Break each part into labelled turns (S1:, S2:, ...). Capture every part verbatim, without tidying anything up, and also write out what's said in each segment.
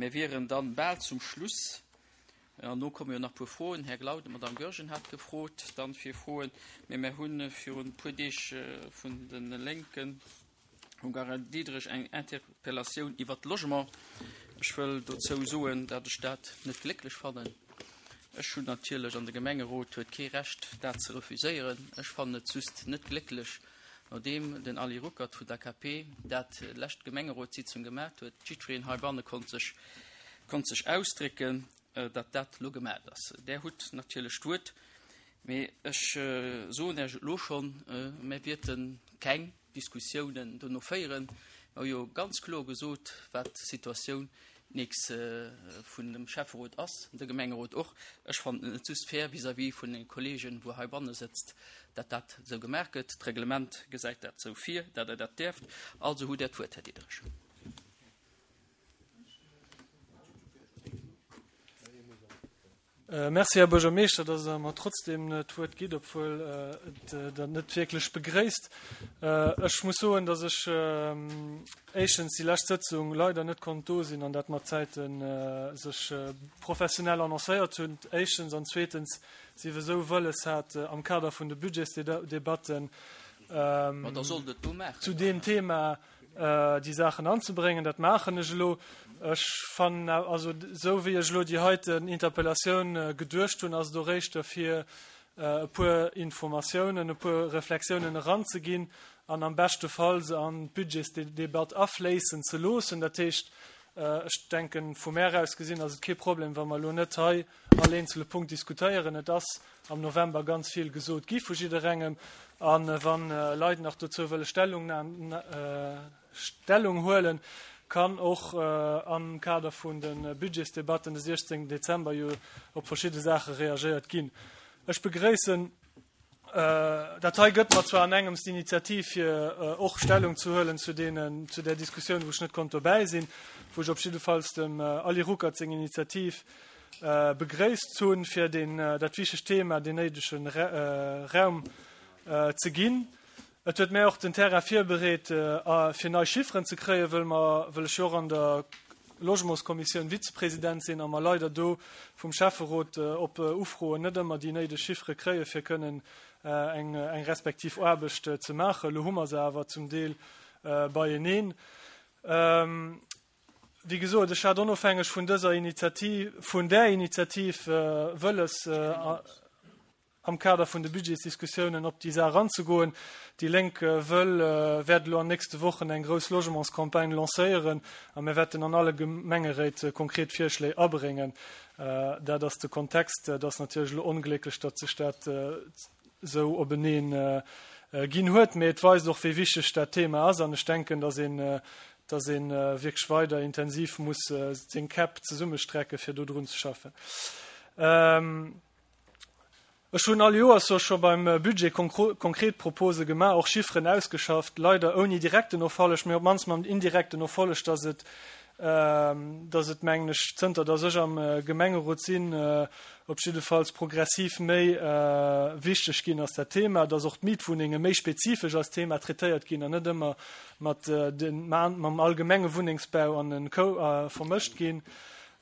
S1: Mir wieren dann bal zum Schluss. An no komme jo nach puer Froen. Här Glauden, d'Madame Goergen hat gefrot dann fir Froen. Mee mir hu virun e puer Deeg vun de Lénken, vum Gary Diderich, eng Interpellatioun iwwert d'Logement. Ech wëll dozou soen, datt ech dat net glécklech fannen. Ech hunn natierlech, an de Gemengerot huet kee Recht, dat ze refuséieren. Ech fannen et just net glécklech, nodeem den Ali Ruckert vun der K P dat lescht Gemengerotssitzung gemaat huet, jiddwereen heibanne konnt sech, konnt sech ausdrécken, datt dat elo gemaat ass. Där hutt natierlech d'Wuert, mee ech soen Iech et elo schonn, mir wäerten keng Diskussiounen dono féieren. Mir hu jo ganz kloer gesot, wat d'Situatioun d'nächst vun dem Schäfferot ass, de Gemengerot och. Ech fannen et net just fair vis-à-vis vun den Kollegen, wou heibanne sëtzt, dat dat esou gemaach gëtt. D'Reglement gesäit dat esou vir, dat Der dat däerft. Also hutt Der d'Wuert, Här Diderich.
S2: Merci, Här Buergermeeschter, dass Der mer trotzdem d'Wuert gitt, obwuel et dat net wierklech begréisst. Ech muss soen, dass ech éischtens déi lescht Sëtzung leider net konnt do sinn an dat mat Zäiten sech professionell annoncéiert hunn, éischtens, an zweetens si wir esou wëlles hat, am Kader vun de Budgetsdebatten
S1: Ma da sollt et do maachen.
S2: zu deem Thema déi Saachen anzebréngen. Dat maachen ech elo. Ech fannen, also esou wéi ech elo déi heiten Interpellatioun geduecht hunn, ass et och éischter fir e puer Informatiounen, e puer Reflexiounen eranzeginn an am beschte Fall se an d'Budgetsdebatt afléissen ze loossen. Dat heescht, ech denken, vu mär aus gesinn ass et kee Problem, wa mer elo net hei all eenzele Punkt diskutéieren. Et ass am November ganz vill gesot gi vu jidderengem. An wann Leit nach dozou wëlle Stellung, Stellung huelen, kann och am Kader vun de Budgetsdebatten de siechzéngten Dezember jo op verschidde Saache reagéiert ginn. Ech begréissen, dat hei gëtt mer zwar an engems d'Initiativ, fir och Stellung ze huelen zu deenen, zu där Diskussioun, wou ech net konnt dobäi sinn, wou ech op jiddefalls dem Ali Ruckert seng Initiativ begréisst hunn, fir deen, dat wichtegt Thema deen néidege Raum ze ginn. Et huet mär och den Terrain virbereet, fir nei Chifferen ze kréien, wëll mer, wëll ech jo och an der Logementskommissioun Vizepresident sinn a mer leider do vum Schäfferot op Ufroen net ëmmer déi néideg Chiffere kréie fir kënnen eng, eng respektiv Aarbecht ze maachen. Elo hu mer se awer zum Deel beieneen. Wéi gesot, ech hat onofhängeg vun dëser Initiativ, vun där Initiativ wëlles, am Kader vun de Budgetsdiskussiounen op déi Saach eranzegoen. Déi Lénk wëll, wäert elo an nächste Wochen eng grouss Logementscampagne lancéieren a mir wäerten an alle Gemengeréit konkret Virschléi abréngen. Dat ass de Kontext. Et ass natierlech elo onglécklech, datt sech dat esou openeen ginn huet, mee et weist och, wéi wichteg dat Thema ass. An ech denken, datt een, datt ee wierklech weider intensiv muss seng Käpp zesummestrecke fir do drun ze schaffen. Ech hunn all Joers jo scho beim Budget konkret Propose gemaach, och Chifferen ausgeschafft, leider ouni direkten Erfolleg, mee op d'mannst mam indirekten Erfolleg, datt et, datt et, mengen ech, zënter datt ech am Gemengerot sinn, op jiddefalls progressiv méi wichteg ginn ass dat Thema, datt och d'Mietwunnenge méi spezifesch als Thema traitéiert ginn an net ëmmer mat den, mam allgemenge Wunnengsbau an den Kou vermëscht ginn.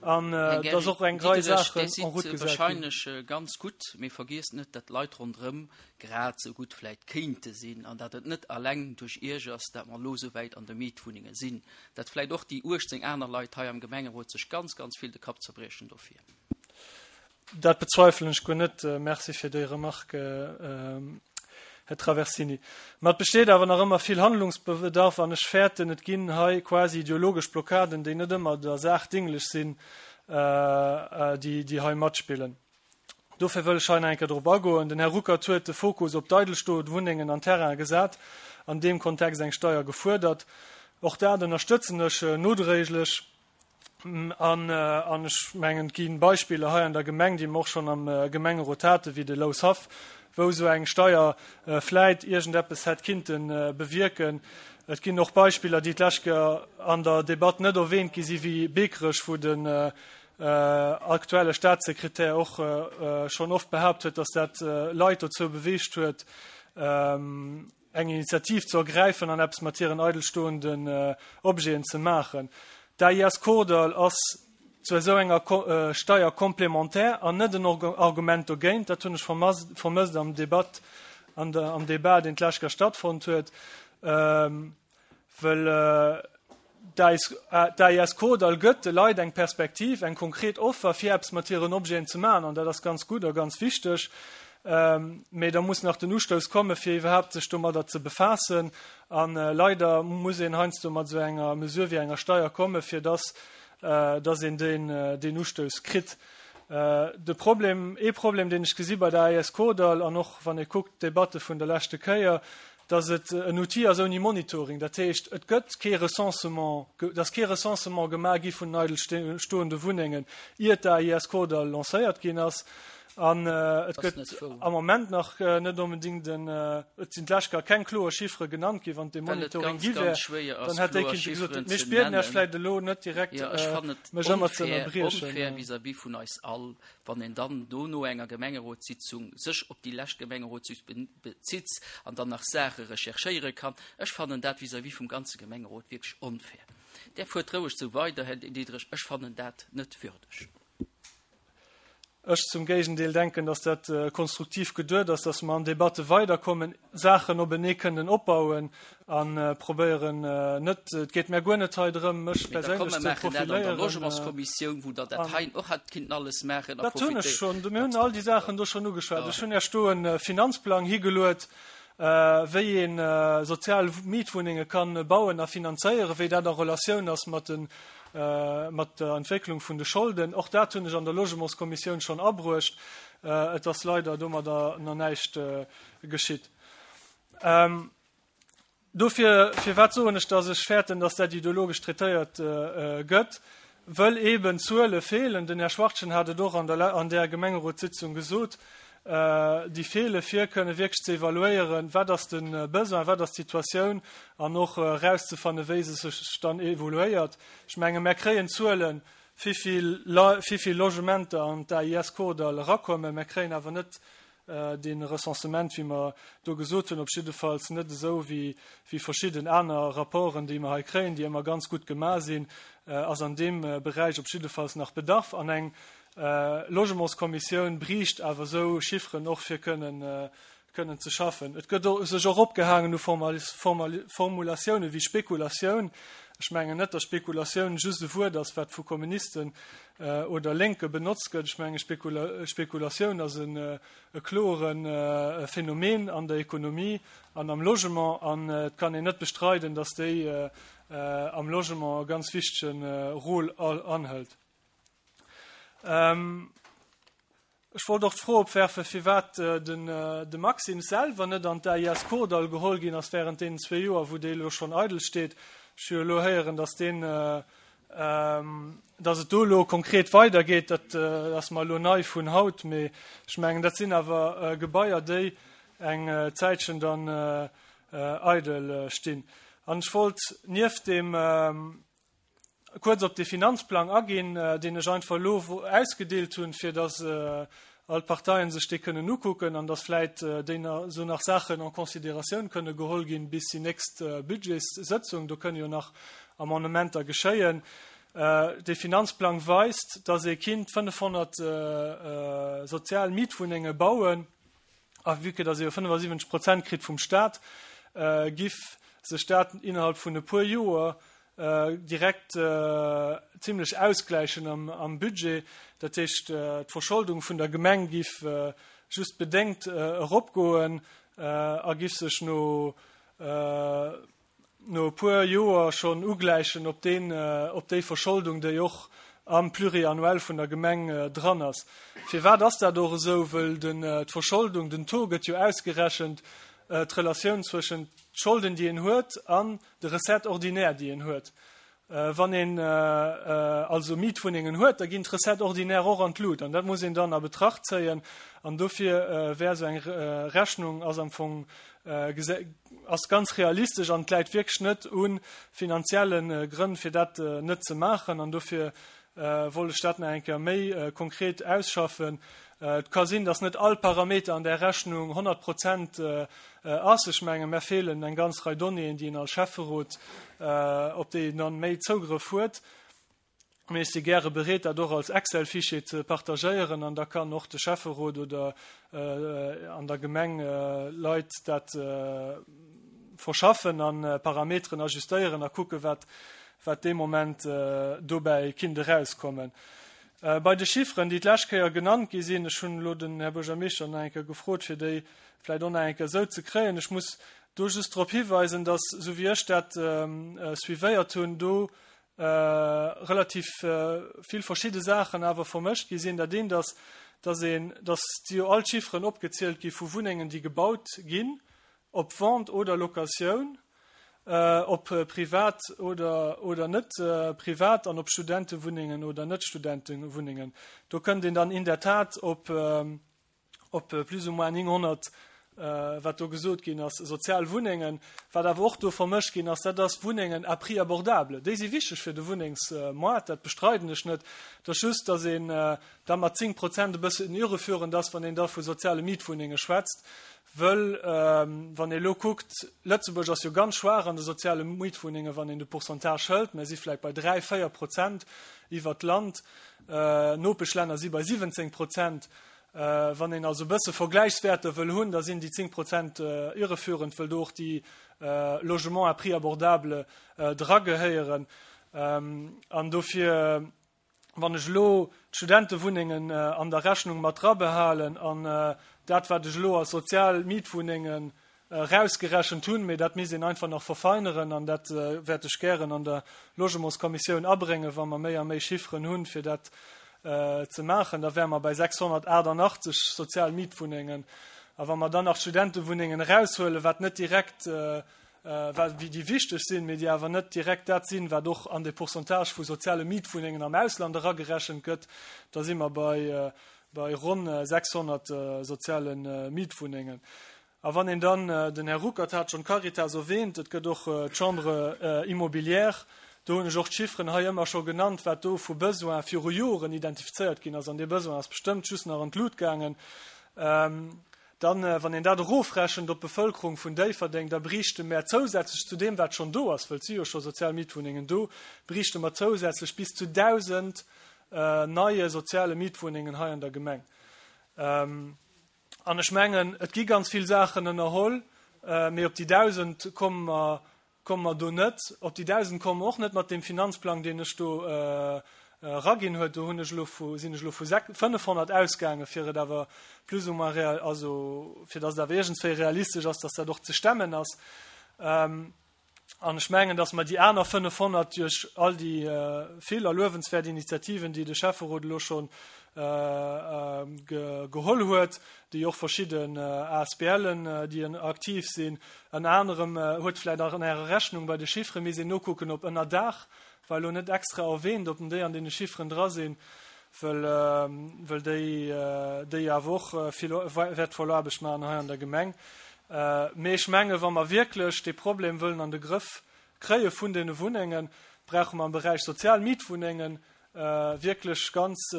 S2: An
S1: Här
S2: dass och eng
S1: Gary
S2: Rei
S1: Diderich,
S2: Saachen
S1: Dir
S2: en route
S1: sidd
S2: gesat ginn.
S1: wahrscheinlech ganz gutt, mee vergiesst net, dat d'Leit ronderëm grad esou gutt vläit kéinte sinn an dat et net alleng duerch Iech ass, dat mer elo esou wäit an de Mietwunnenge sinn. Dat vläit och déi uechtzéng aner Leit hei am Gemengerot sech ganz, ganz vill de Kapp zerbriechen dofir.
S2: Dat bezweifelen ech guer net. Merci fir déi Remarque, Här Traversini. Ma et besteet awer nach ëmmer vill Handlungsbedarf an ech fäerten, et ginn hei quasi ideologesch Blockaden, déi net ëmmer der Saach dinglech sinn, déi, déi hei matspillen. Dofir wëll ech hei nach eng Kéier drop agoen. Den Här Ruckert huet de Fokus op d'eidelstoend Wunnengen an Terraine gesat, an deem Kontext eng Steier gefuerdert. Och dat ënnerstëtzen ech nodréiglech. An, an ech mengen, et ginn Beispiller hei an der Gemeng, déi mer och schonn am Gemengerot haten, wéi de Loushaff, wou esou eng Steier vläit iergendeppes hätt kinnte bewierken. Et ginn och Beispiller, déi d'lescht Kéier an der Debatt net erwähnt gi sinn, wéi Beekerech, wou den aktuelle Staatssekretär och schonn oft behaupt huet, dass dat Leit dozou beweegt huet, eng Initiativ ze ergräifen an eppes mat hiren eidelstoenden Objeten ze maachen. D'A I S Kordall ass zu esou enger Steuer complémentaire an net en Argument dogéint. Dat hunn ech vermësst am Debat, an der, am Debat, deen d'lescht Kéier stattfonnt huet, well d'A I S Kordall gëtt de Leit eng Perspektiv, eng konkret Offer, fir eppes mat hiren Objeten ze maachen, an dat ass ganz gutt a ganz wichteg. Mee da muss nach den Ustouss komme fir iwwerhaapt sech domadder ze befaassen. An leider muss een heiansdo mat esou enger Mesure wéi enger Steier komme fir dass dass een deen deen Ustouss kritt. De Problem, ee Problem deen ech gesi bei der A I S Kordall, an och wann ee kuckt d'Debatte vun der leschte Kéier, dass et en Outil ass ouni Monitoring. Dat heescht, et gëtt kee Recensement, et ass kee Recensement gemaach gi vun den eidel stoende Wunnengen, iert d'A I S Kordall lancéiert ginn ass. An et gëtt am Moment nach net onbedéngt en, et sinn d'lescht Kéier keng kloer Chiffere genannt ginn. Wann dee Monitoring gi wär, dann hätt déi kinnte gesot, mee ech bieden Iech vläicht elo net direkt mech ëmmer ze ënnerbriechen.
S1: Onfair vis-à-vis vun eis all, wann een dann do no enger Gemengerotssitzung sech op déi lescht Gemengerotssitzung bezitt an dann nach Saache recherchéiere kann. Ech fannen dat vis-à-vis vum ganze Gemengerot wierklech onfair. Där fuert roueg sou weider, Här Diderich, ech fannen dat net würdeg.
S2: Ech zum Géigendeel denken, dass dat konstruktiv geduet ass, dass mer an Debatte weiderkommen, Saachen openee kënnen opbauen a probéieren net, et geet mär guer net hei drëm, mech perséinlech ze profiléieren.
S1: Logementskommissioun, wou Der dat hei och hätt kinnten alles maachen.
S2: Dat hunn ech schonn, mir hunn all déi Saachen do schonn ugeschwat. Ech hunn Iech do e Finanzplang higeluet, wéi ee sozial Mietwunnenge kann bauen a finanzéieren, wéi dat a Relatioun ass mat den mat der Entwécklung vun de Scholden. Och dat hunn ech an der Logementskommissioun schonn abruecht. Et ass leider domadder nach näischt geschitt. Dofir, firwat soen ech, dass ech fäerten, dass dat ideologesch traitéiert gëtt? Wëll eeben Zuele feelen. Den Här Schwachtgen hat et och an der an där Gemengerotssitzung gesot, déi feele fir kënne wierklech ze evaluéieren, wat ass de Besoin, wat ass d'Situatioun an och erauszefanne wéi se sech dann evoluéiert. Ech menge mär kréien Zuelen, wéivill wéivill Logementer an d'A I S Kordall erakommen, mär kréien awer net dee Recensement, wéi mer do gesot hunn, op jiddefalls net esou wéi wéi verschidden aner Rapporten, déi mer hei kréien, déi ëmmer ganz gutt gemaach sinn, ass an deem Beräich op jiddefalls nach Bedarf an eng Logementskommissioun bräicht awer esou Chifferen och fir kënnen kënnen ze schaffen. Et gëtt sech och opgehaangen u Formulatioune wéi Spekulatioun. Ech mengen net, datt Spekulatioun just e Wuert ass, wat vu Kommunisten oder Lénke benotzt gëtt. Ech menge Spekulatioun ass e kloere Phänomen an der Ekonomie an am Logement an et kann een net bestreiden, datt déi am Logement e ganz wichtege Rôle anhëlt. Ech wollt och d'Fro opwerfen, firwat den de Maxime selwer net an d'A I S Kordall geholl ginn ass während deenen zwee Joer, wou dee elo schonn eidel steet. Ech hu jo elo héieren, dass deen, dass et do elo konkret weidergeet. Dat ass mer elo nei vun haut, mee ech mengen, dat sinn awer Gebaier, déi eng Zäitchen dann eidel stinn. An ech wollt nieft deem kuerz op de Finanzplang aginn, deen ech einfach elo ausgedeelt hunn, fir dass all d'Parteien sech dee kënnen ukucken an dass vläit déi esou nach Saachen en considératioun kënne geholl ginn bis déi nächst Budgetssëtzung. Do kënne jo nach Amendementer geschéien. Dee Finanzplang weist, dass ee kinnt fënnefhonnert sozial Mietwunnenge bauen, a vue que dass ee jo fënnefasiwwenzeg Prozent kritt vum Stat, giff sech dat innerhalb vun e puer Joer direkt zimlech ausgläichen am Budget. Dat heescht, d'Verscholdung vun der Gemeng giff just bedéngt eropgoen a giff sech no no e puer Joer schonn ugläichen op deen, op déi Verscholdung, déi och am Pluriannuel vun der Gemeng dran ass. Firwat ass dat och esou? Wëll den, d'Verscholdung, den Taux gëtt jo ausgerechent, d'Relatioun zwëschen d'Scholden, déi een huet, an de Recettes ordinaires, déi een huet. Wann een also Mietwunnengen huet, da ginn d'Recettes ordinaires och an d'Lut. An dat muss een dann a Betracht zéien. An dofir wär esou eng Rechnung ass am Fong ass ganz realistesch an et läit wierklech net u finanzielle Grënn, fir dat net ze maachen. An dofir wollt ech dat nach eng Kéier méi konkret ausschaffen. Et ka sinn, dass net all Parameter an där Rechnung honnert Prozent ass. Ech mengen, mär feelen eng ganz Rei Donnéeën, déi een als Schäfferot, op déi een dann méi Zougrëff huet. Mee ech si gäre bereet, dat och als Excel-Fichier ze partagéieren an da kann och de Schäfferot oder an der Gemeng Leit dat verschaffen a Parameteren ajustéieren a kucke wat wat dee Moment dobäi kinnt erauskommen. Bei de Chifferen, déi d'lescht Kéier genannt gi sinn, ech hunn elo den Här Buergermeeschter nach eng Kéier gefrot, fir déi vläicht och nach eng Kéier esou ze kréien, ech muss do just drop hiweisen, dass, esou wéi ech dat suivéiert hunn, do relativ vill verschidde Saachen awer vermëscht gi sinn. Dat eent ass, dass een, dass si jo all d'Chifferen opgezielt gi vu Wunnengen, déi gebaut ginn, ob Vente oder Locatioun, ob privat oder, oder net privat an ob Studentewunnengen oder net Studentewunnengen. Do kënnt een dann in der Tat op, op plus ou moins nénghonnert, wat do gesot ginn ass, sozial Wunnengen. Wat awer och do vermëscht ginn ass, dat ass Wunnengen à prix abordable. Déi si wichteg fir de Wunnengsmoart, dat bestreiden ech net. Et ass just, datt een da mat zéng Prozent e bëssen irreführend ass, wann een da vu soziale Mietwunnenge schwätzt. Wëll wann ee elo kuckt, Lëtzebuerg ass jo ganz schwaach an de soziale Mietwunnengen, wann een de Pourcentage hëlt, mir si vläicht bei dräi, véier Prozent iwwert d'Land, Nopeschlänner si bei siwwenzéng Prozent. Wann een also e bësse Vergläichswäerter wëll hunn, da sinn déi zéng Prozent irreführend, wëll do och déi Logements à prix abordable dragehéieren. An dofir, wann ech elo d'Studentewunnengen an der Rechnung mat drabehalen an dat, wat ech elo als sozial Mietwunnengen erausgerechent hunn, mee dat misst een einfach nach verfeineren an dat wäert ech gären an der Logementskommissioun abréngen, wa mer méi a méi Chifferen hunn, fir dat ze maachen, da wäre mer bei sechshonnertaachtundachtzeg sozial Mietwunnengen. A wa mer dann nach d'Studentewunnengen eraushuelen, wat net direkt, wat déi wichteg sinn, mee déi awer net direkt dat sinn, wat och an de Pourcentage vu soziale Mietwunnengen am Ausland eragerechent gëtt, da si mer bei, bei ronn sechshonnert soziale Mietwunnengen. A wann een dann, den Här Ruckert hat schonn d'Caritas erwähnt, et gëtt och d'Chambre immobilière, do hunn ech och d'Chiffren hei ëmmer scho genannt, wat do vu Besoin viru Joren identifizéiert ginn ass, an dee Besoin ass bestëmmt just nach an d'Lut gaangen. Dann, wann een dat erofrechent op d'Bevëlkerung vun Déifferdeng, da bräichte mer zousätzlech zu deem, wat schonn do ass, wëll et si jo scho sozial Mietwunnengen do, bräichte mer zousätzlech bis zu dausend neie soziale Mietwunnengen hei an der Gemeng. An ech mengen, et gi ganz vill Saachen ënnerholl, mee op déi dausend komme mer, komme mer do net. Op déi dausend komme mer och net mat deem Finanzplang, deen ech do eraginn huet. Do hunn ech elo vu, sinn ech elo vu fënnefhonnert ausgaangen, fir et awer plus ou moins real, also fir datt et awer iergendswéi realistesch ass, datt dat och ze stemmen ass. An ech mengen, datt mer déi aner fënnefhonnert duerch all déi vill a luewenswäert Initiativen, déi de Schäfferot elo scho geholl huet, déi och verschidden A S B Len, déi aktiv sinn, ënner anerem huet vläicht och an Ärer Rechnung bei de Chiffere misst een nokucken, ob ënner Daach, war elo net extra erwähnt, ob déi an deene Chifferen dra sinn, wëll, wëll déi, déi awer och vill wäertvoll Aarbecht maachen hei an der Gemeng. Mee ech menge, wa mer wierklech dee Problem wëllen an de Grëff kréie vun deene Wunnengen, brauche mer am Beräich sozial Mietwunnengen wierklech ganz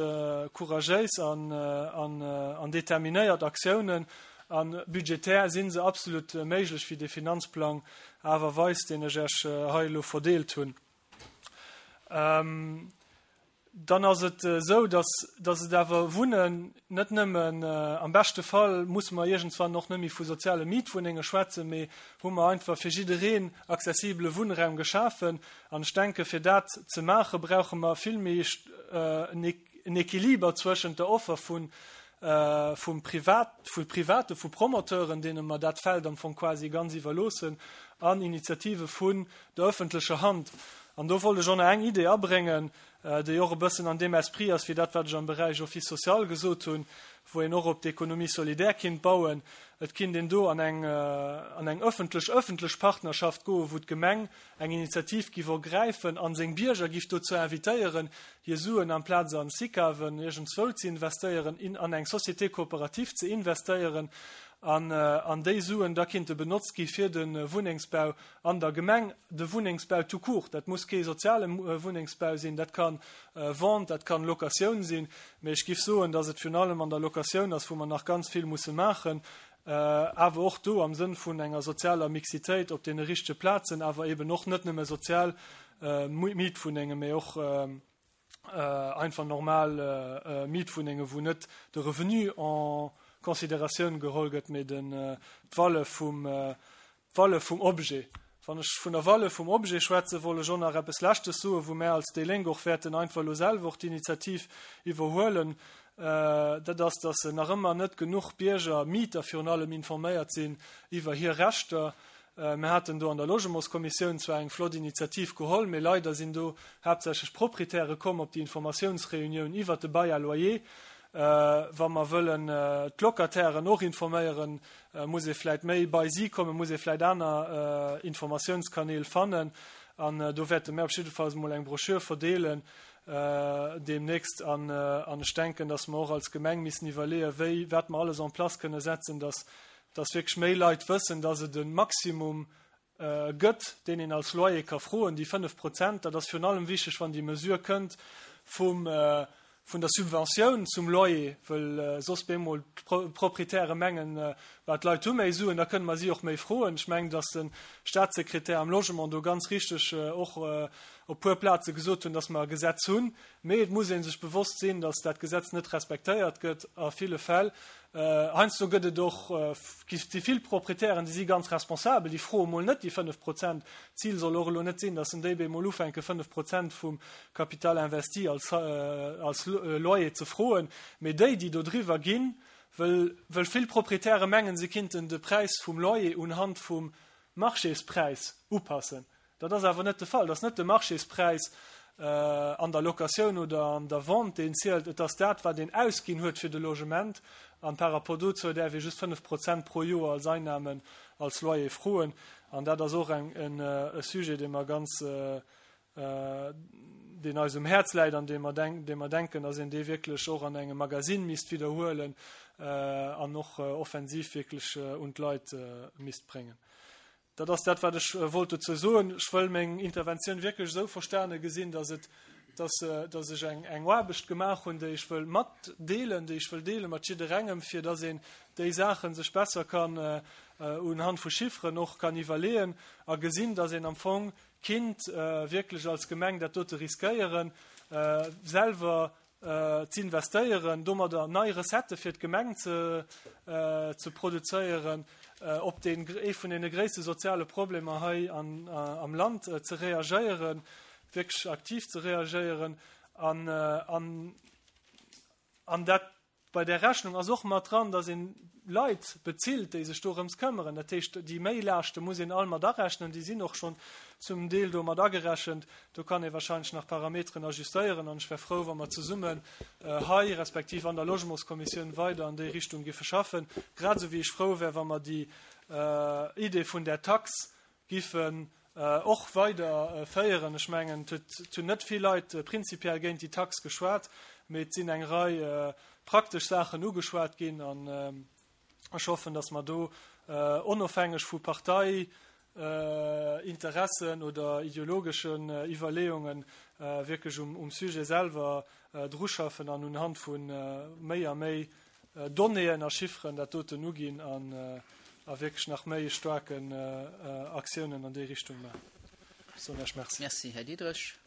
S2: couragéis an, an, an determinéiert Aktiounen. An budgetär sinn se absolut méiglech, wéi de Finanzplang awer weist, deen ech Iech hei elo verdeelt hunn. Dann ass et esou, dass, dass et awer Wunnen net nëmmen, am beschte Fall musse mer iergendswann och net méi vu soziale Mietwunnenge schwätzen, mee hu mer einfach fir jiddereen accessibele Wunnraum geschafen. An ech denke, fir dat ze maachen, brauche mer vill méi en Equiliber zwëschent der Offer vun, vum Privat, vu Private, vu Promoteuren, deene mer dat Feld am Fong quasi ganz iwwerloossen, an Initiative vun der öffentlecher Hand. An do wollt ech och nach eng Idee abréngen, déi och e bëssen an deem Esprit ass, wéi dat, wat ech am Beräich Office social gesot hunn, wou een och op d'Économie solidaire kinnt bauen. Et kinnt een do an eng, an eng öffentlech, öffentlech Partnerschaft goen, wou d'Gemeng eng Initiativ giff ergräifen an seng Bierger giff dozou invitéieren, hir Suen amplaz an SICAVen iergendzwou ze investéieren, in, an eng Société coopérative ze investéieren an, an déi Suen da kinnte benotzt gi fir de Wunnengsbau an der Gemeng, de Wunnengsbau tout court. Dat muss kee soziale Wunnengsbau sinn, dat kann Vente, dat kann Locatioun sinn, mee ech giff soen, dass et virun allem an der Locatioun ass, wou mer nach ganz vill musse maachen, awer och do am Sënn vun enger sozialer Mixitéit op deene richtege Plazen, awer eben och net nëmme sozial Mietwunnenge, mee och einfach normal Mietwunnenge wou net de Revenu en Consideratioun geholl gëtt, mee den d'Valeur vum d'Valeur vum Objet. Wann ech vun der Valeur vum Objet schwätzen, wollt ech och nach eppes Leschtes soen, wou mär als déi Lénk och wäerten einfach elo selwer och d'Initiativ iwwerhuelen, dat ass, dass nach ëmmer net genuch Bierger, Mieter virun allem, informéiert sinn iwwer hir Rechter. Mir haten do an der Logementskommissioun zwar eng flott Initiativ geholl, mee leider sinn do haaptsächlech Proprietäre komm op déi Informatiounsreunioun iwwert de Bail à loyer. Wa mer wëllen d'Locatairen och informéieren, muss ee vläicht méi bei si kommen, muss ee vläicht aner Informatiounskanäl fannen. An do wäerte mir op jiddefalls emol eng Broschür verdeelen deemnächst. An ech denken, dass mer och als Gemeng missen iwwerleeën, wéi, wat mer alles en place kënne setzen, dass, dass wierklech méi Leit wëssen, dass et e Maximum gëtt, deen een als Loyer ka froen, déi fënnef Prozent. Dat ass virun allem wichteg, wann déi Mesure kënnt vum, vun der Subventioun zum Loyer, wëll soss bemol d'Proprietäre mengen, bah, d'Leit hu méi Suen, da kënne mer si och méi froen. Ech mengen, dass de Statssekretär am Logement do ganz richteg och op puer Plaze gesot hunn, dass mer e Gesetz hunn, mee et muss ee sech bewosst sinn, dass dat Gesetz net respektéiert gëtt a ville Fäll. Heiansdo gëtt et och, gi vill Proprietären, déi si ganz responsabel, déi froe mol net déi fënnef Prozent. D'Zil soll och elo net sinn, datt en déi bemol ufänke fënnef Prozent vum Capital investi als, als Loyer ze froen, mee déi, déi do driwwer ginn, wëll, wëll vill Proprietäre mengen, se kinnten de Präis vum Loyer unhand vum Marchéspräis upassen. Dat ass awer net de Fall. Et ass net de Marchéspräis an der Locatioun oder an der Vente, deen zielt. Et ass dat, wat een ausginn huet fir de Logement. An par rapport dozou däerf ee just fënnef Prozent pro Joer als Einnahmen als Loyer froen. An dat ass och eng, en, e Sujet, dee mer ganz, deen eis um Häerz läit an dee mer, dee mer denken, dass een dee wierklech och an engem Magasinn misst widderhuelen an och offensiv wierklech un d'Leit misst bréngen. Dat ass dat, wat ech wollt dozou soen. Ech wëll meng Interventioun wierklech esou verstane gesinn, dass et, dass, dass ech eng, eng Aarbecht gemaach hunn, déi ech wëll matdeelen, déi ech wëll deele mat jidderengem, fir dass een déi Saache sech besser kann unhand vu Chifferen och kann iwwerleeën a gesinn, dass een am Fong kinnt wierklech als Gemeng dat dote riskéieren, selwer z'investéieren, domadder nei Recettë fir d'Gemeng ze ze produzéieren, op deen ee vun deene gréisste soziale Problemer hei an am Land ze reagéieren, wierklech aktiv ze reagéieren an an an dat Bei där Rechnung ass och mat dran, dass een Leit bezilt, déi sech dorëms këmmeren. Dat heescht, déi Méilaaschte muss een all mat arechnen. Déi sinn och schonn zum Deel do mat agerechent. Do kann ee wahrscheinlech nach Parameteren ajustéieren. An ech wär frou, wa mer zesummen hei respektiv an der Logementskommissioun weider an déi Richtung giffe schaffen. Grad esou wéi ech frou wär, wa mer déi Idee vun där Tax giffen och weider féieren. Ech mengen, et hunn net vill Leit prinzipiell géint déi Tax geschwat, mee et sinn eng Rei praktesch Saachen ugeschwat ginn. An ech hoffen, datt mer do onofhängeg vu Parteiinteressen oder ideologeschen Iwwerleeungen wierklech um Sujet selwer druschaffen an unhand vu méi a méi Donnéeën a Chifferen dat doten uginn an a wierklech nach méi staarken Aktiounen an déi Richtung maachen. Ech soen Iech Merci.
S1: Merci, Här Diderich.